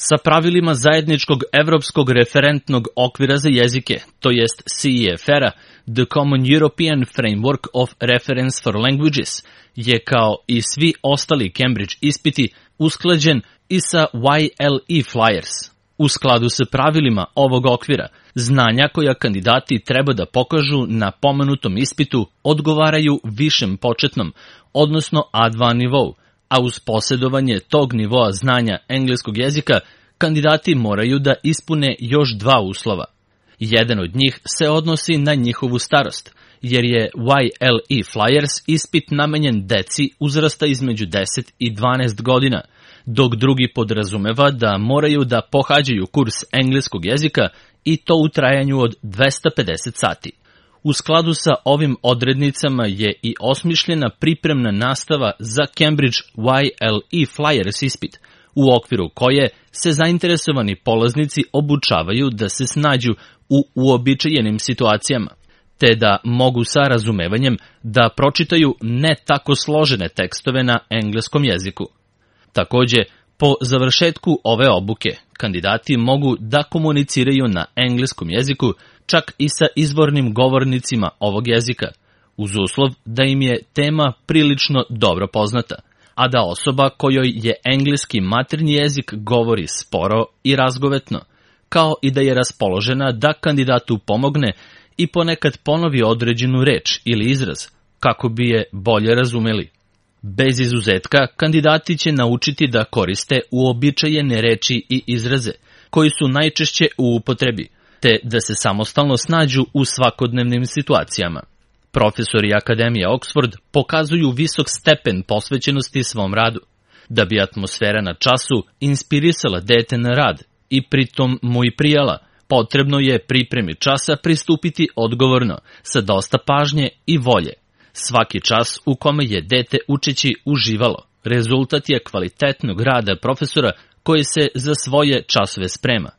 sa pravilima zajedničkog evropskog referentnog okvira za jezike, to jest CEFR-a, The Common European Framework of Reference for Languages, je kao i svi ostali Cambridge ispiti usklađen i sa YLE Flyers. U skladu sa pravilima ovog okvira, znanja koja kandidati treba da pokažu na pomenutom ispitu odgovaraju višem početnom, odnosno A2 nivou, a uz posjedovanje tog nivoa znanja engleskog jezika, kandidati moraju da ispune još 2 uslova. Jedan od njih se odnosi na njihovu starost, jer je YLE Flyers ispit namenjen deci uzrasta između 10 i 12 godina, dok drugi podrazumeva da moraju da pohađaju kurs engleskog jezika i to u trajanju od 250 sati. U skladu sa ovim odrednicama je i osmišljena pripremna nastava za Cambridge YLE Flyers ispit, u okviru koje se zainteresovani polaznici obučavaju da se snađu u uobičajenim situacijama, te da mogu sa razumevanjem da pročitaju ne tako složene tekstove na engleskom jeziku. Takođe, po završetku ove obuke, kandidati mogu da komuniciraju na engleskom jeziku čak i sa izvornim govornicima ovog jezika, uz uslov da im je tema prilično dobro poznata, a da osoba kojoj je engleski maternji jezik govori sporo i razgovetno, kao i da je raspoložena da kandidatu pomogne i ponekad ponovi određenu reč ili izraz, kako bi je bolje razumeli. Bez izuzetka, kandidati će naučiti da koriste uobičajene reči i izraze, koji su najčešće u upotrebi, te da se samostalno snađu u svakodnevnim situacijama. Profesori Akademije Oxford pokazuju visok stepen posvećenosti svom radu, da bi atmosfera na času inspirisala dete na rad i pritom mu i prijala, potrebno je pripremi časa pristupiti odgovorno, sa dosta pažnje i volje. Svaki čas u kome je dete učeći uživalo, rezultat je kvalitetnog rada profesora koji se za svoje časove sprema.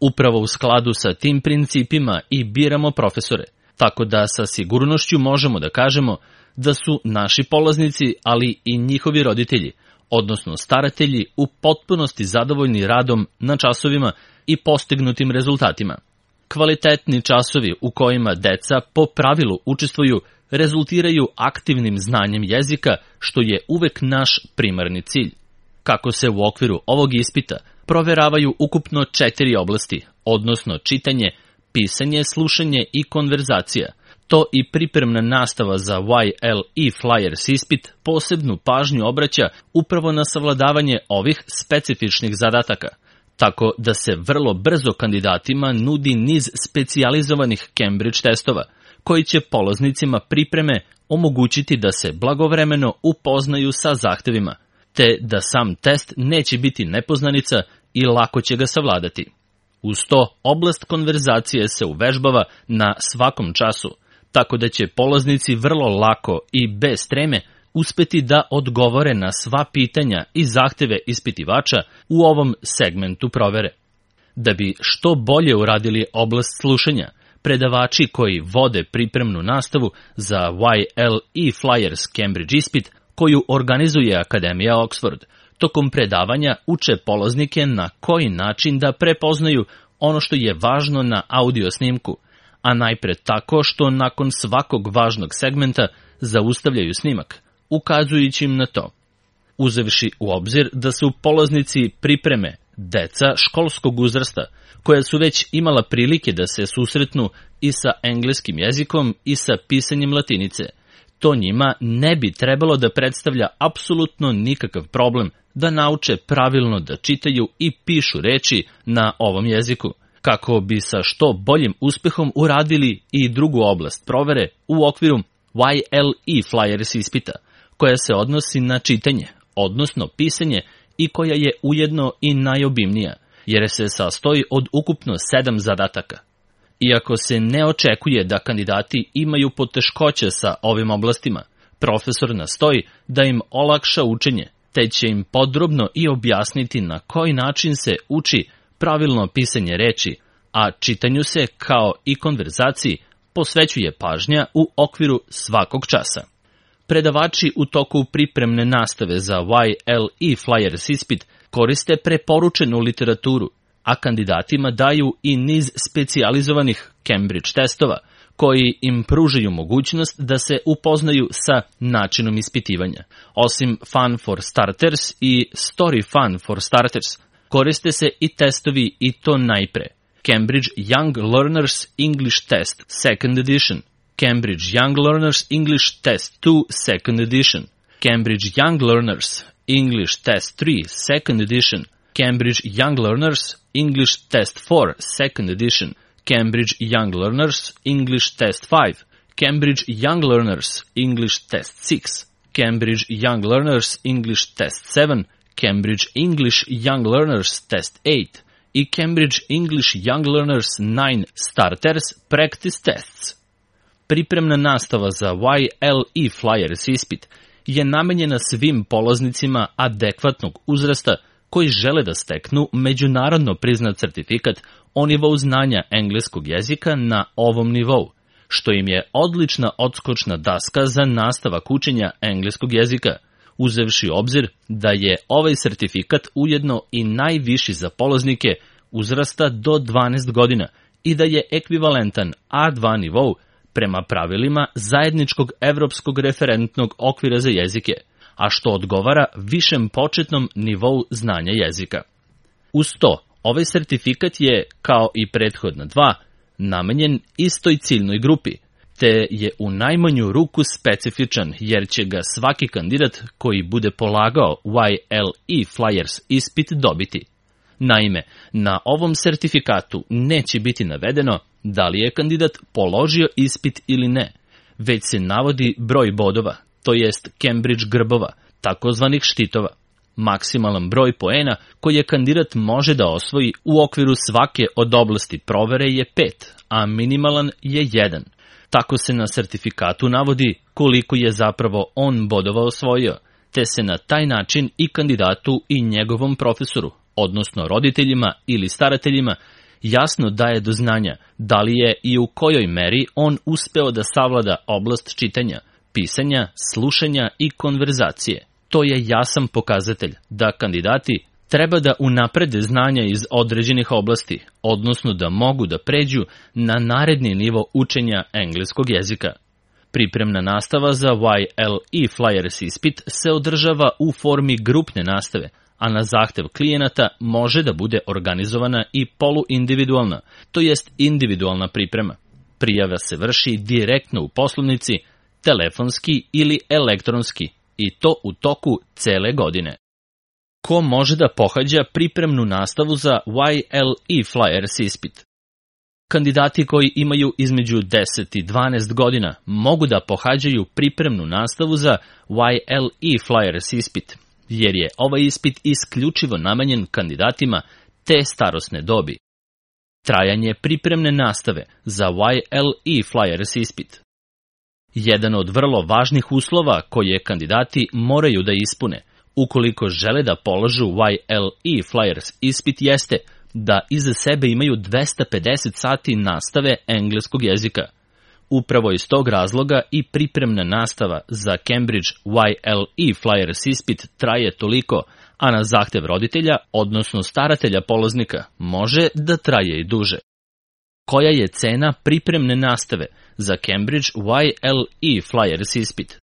Upravo u skladu sa tim principima i biramo profesore, tako da sa sigurnošću možemo da kažemo da su naši polaznici, ali i njihovi roditelji, odnosno staratelji, u potpunosti zadovoljni radom na časovima i postignutim rezultatima. Kvalitetni časovi u kojima deca po pravilu učestvuju rezultiraju aktivnim znanjem jezika, što je uvek naš primarni cilj. Kako se u okviru ovog ispita proveravaju ukupno 4 oblasti, odnosno čitanje, pisanje, slušanje i konverzacija, to i pripremna nastava za YLE Flyers ispit posebnu pažnju obraća upravo na savladavanje ovih specifičnih zadataka, tako da se vrlo brzo kandidatima nudi niz specijalizovanih Cambridge testova, koji će polaznicima pripreme omogućiti da se blagovremeno upoznaju sa zahtevima, te da sam test neće biti nepoznanica i lako će ga savladati. Uz to, oblast konverzacije se uvežbava na svakom času, tako da će polaznici vrlo lako i bez treme uspeti da odgovore na sva pitanja i zahteve ispitivača u ovom segmentu provere. Da bi što bolje uradili oblast slušanja, predavači koji vode pripremnu nastavu za YLE Flyers Cambridge ispit, koju organizuje Akademija Oxford, tokom predavanja uče polaznike na koji način da prepoznaju ono što je važno na audio snimku, a najpre tako što nakon svakog važnog segmenta zaustavljaju snimak, ukazujući im na to. Uzevši u obzir da su polaznici pripreme deca školskog uzrasta, koja su već imala prilike da se susretnu i sa engleskim jezikom i sa pisanjem latinice, to njima ne bi trebalo da predstavlja apsolutno nikakav problem da nauče pravilno da čitaju i pišu reči na ovom jeziku, kako bi sa što boljim uspehom uradili i drugu oblast provere u okviru YLE Flyers ispita, koja se odnosi na čitanje, odnosno pisanje, i koja je ujedno i najobimnija, jer se sastoji od ukupno 7 zadataka. Iako se ne očekuje da kandidati imaju poteškoće sa ovim oblastima, profesor nastoji da im olakša učenje, te će im podrobno i objasniti na koji način se uči pravilno pisanje reči, a čitanju se, kao i konverzaciji, posvećuje pažnja u okviru svakog časa. Predavači u toku pripremne nastave za YLE Flyers ispit koriste preporučenu literaturu, a kandidatima daju i niz specijalizovanih Cambridge testova, koji im pružaju mogućnost da se upoznaju sa načinom ispitivanja. Osim Fun for Starters i Story Fun for Starters, koriste se i testovi i to najpre. Cambridge Young Learners English Test Second Edition, Cambridge Young Learners English Test 2 Second Edition, Cambridge Young Learners English Test 3 Second Edition, Cambridge Young Learners English Test 4 Second Edition, Cambridge Young Learners English Test 5, Cambridge Young Learners English Test 6, Cambridge Young Learners English Test 7, Cambridge English Young Learners Test 8 i Cambridge English Young Learners 9 Starters Practice Tests. Pripremna nastava za YLE Flyers ispit je namenjena svim polaznicima adekvatnog uzrasta koji žele da steknu međunarodno priznat certifikat o nivou znanja engleskog jezika na ovom nivou, što im je odlična odskočna daska za nastavak učenja engleskog jezika, uzevši obzir da je ovaj sertifikat ujedno i najviši za polaznike uzrasta do 12 godina i da je ekvivalentan A2 nivou prema pravilima zajedničkog evropskog referentnog okvira za jezike, a što odgovara višem početnom nivou znanja jezika. Uz to, ovaj sertifikat je, kao i prethodna dva, namenjen istoj ciljnoj grupi, te je u najmanju ruku specifičan jer će ga svaki kandidat koji bude polagao YLE Flyers ispit dobiti. Naime, na ovom sertifikatu neće biti navedeno da li je kandidat položio ispit ili ne, već se navodi broj bodova, to jest Cambridge grbova, takozvanih štitova. Maksimalan broj poena koji je kandidat može da osvoji u okviru svake od oblasti provere je 5, a minimalan je 1. Tako se na sertifikatu navodi koliko je zapravo on bodova osvojio, te se na taj način i kandidatu i njegovom profesoru, odnosno roditeljima ili starateljima, jasno daje do znanja da li je i u kojoj meri on uspeo da savlada oblast čitanja, pisanja, slušanja i konverzacije. To je jasan pokazatelj da kandidati treba da unaprede znanja iz određenih oblasti, odnosno da mogu da pređu na naredni nivo učenja engleskog jezika. Pripremna nastava za YLE Flyers ispit se održava u formi grupne nastave, a na zahtev klijenata može da bude organizovana i poluindividualna, to jest individualna priprema. Prijava se vrši direktno u poslovnici, telefonski ili elektronski, i to u toku cele godine. Ko može da pohađa pripremnu nastavu za YLE Flyers ispit? Kandidati koji imaju između 10 i 12 godina mogu da pohađaju pripremnu nastavu za YLE Flyers ispit, jer je ovaj ispit isključivo namenjen kandidatima te starosne dobi. Trajanje pripremne nastave za YLE Flyers ispit. Jedan od vrlo važnih uslova koje kandidati moraju da ispune ukoliko žele da polažu YLE Flyers ispit jeste da iza sebe imaju 250 sati nastave engleskog jezika. Upravo iz tog razloga i pripremna nastava za Cambridge YLE Flyers ispit traje toliko, a na zahtev roditelja, odnosno staratelja polaznika, može da traje i duže. Koja je cena pripremne nastave za Cambridge YLE Flyers ispit?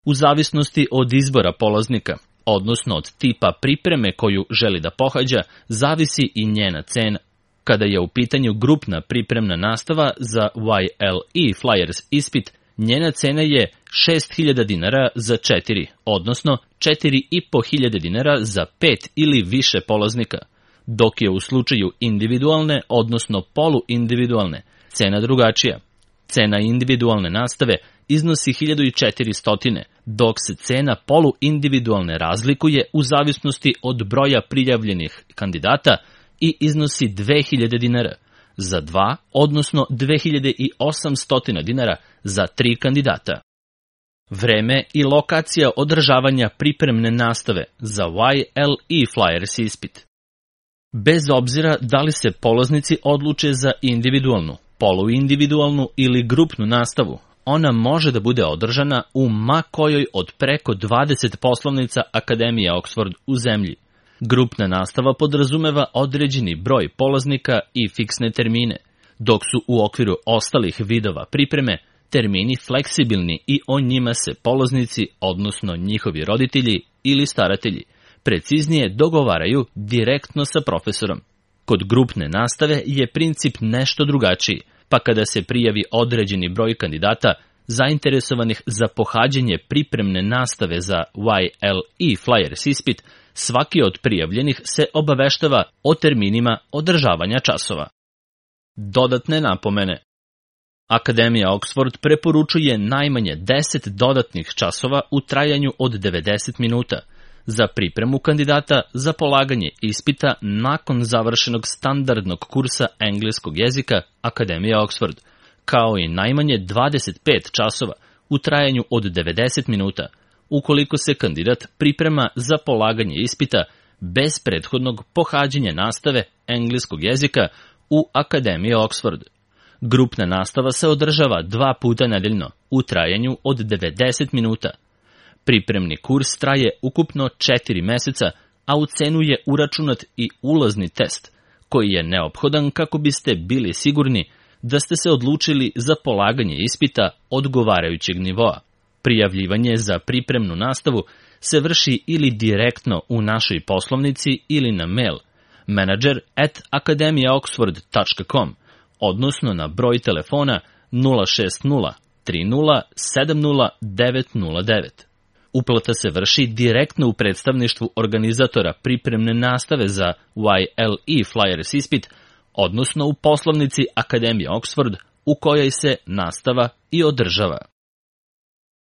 U zavisnosti od izbora polaznika, odnosno od tipa pripreme koju želi da pohađa, zavisi i njena cena. Kada je u pitanju grupna pripremna nastava za YLE Flyers ispit, njena cena je 6.000 dinara za 4, odnosno 4.500 dinara za 5 ili više polaznika, dok je u slučaju individualne, odnosno poluindividualne, cena drugačija. Cena individualne nastave iznosi 1.400, dok se cena poluindividualne razlikuje u zavisnosti od broja prijavljenih kandidata i iznosi 2.000 dinara za 2, odnosno 2.800 dinara za 3 kandidata. Vreme i lokacija održavanja pripremne nastave za YLE Flyers ispit. Bez obzira da li se polaznici odluče za individualnu, poluindividualnu ili grupnu nastavu, ona može da bude održana u ma kojoj od preko 20 poslovnica Akademije Oxford u zemlji. Grupna nastava podrazumeva određeni broj polaznika i fiksne termine, dok su u okviru ostalih vidova pripreme termini fleksibilni i o njima se polaznici, odnosno njihovi roditelji ili staratelji, preciznije dogovaraju direktno sa profesorom. Kod grupne nastave je princip nešto drugačiji, pa kada se prijavi određeni broj kandidata zainteresovanih za pohađanje pripremne nastave za YLE Flyers ispit, svaki od prijavljenih se obaveštava o terminima održavanja časova. Dodatne napomene. Akademija Oxford preporučuje najmanje 10 dodatnih časova u trajanju od 90 minuta za pripremu kandidata za polaganje ispita nakon završenog standardnog kursa engleskog jezika Akademije Oxford, kao i najmanje 25 časova u trajanju od 90 minuta ukoliko se kandidat priprema za polaganje ispita bez prethodnog pohađanja nastave engleskog jezika u Akademiji Oxford. Grupna nastava se održava 2 puta nedeljno u trajanju od 90 minuta. Pripremni kurs traje ukupno 4 meseca, a u cenu je uračunat i ulazni test, koji je neophodan kako biste bili sigurni da ste se odlučili za polaganje ispita odgovarajućeg nivoa. Prijavljivanje za pripremnu nastavu se vrši ili direktno u našoj poslovnici ili na mail manager@akademijaoxford.com, odnosno na broj telefona 060 30 70 909. Uplata se vrši direktno u predstavništvu organizatora pripremne nastave za YLE Flyers ispit, odnosno u poslovnici Akademije Oxford u kojoj se nastava i održava.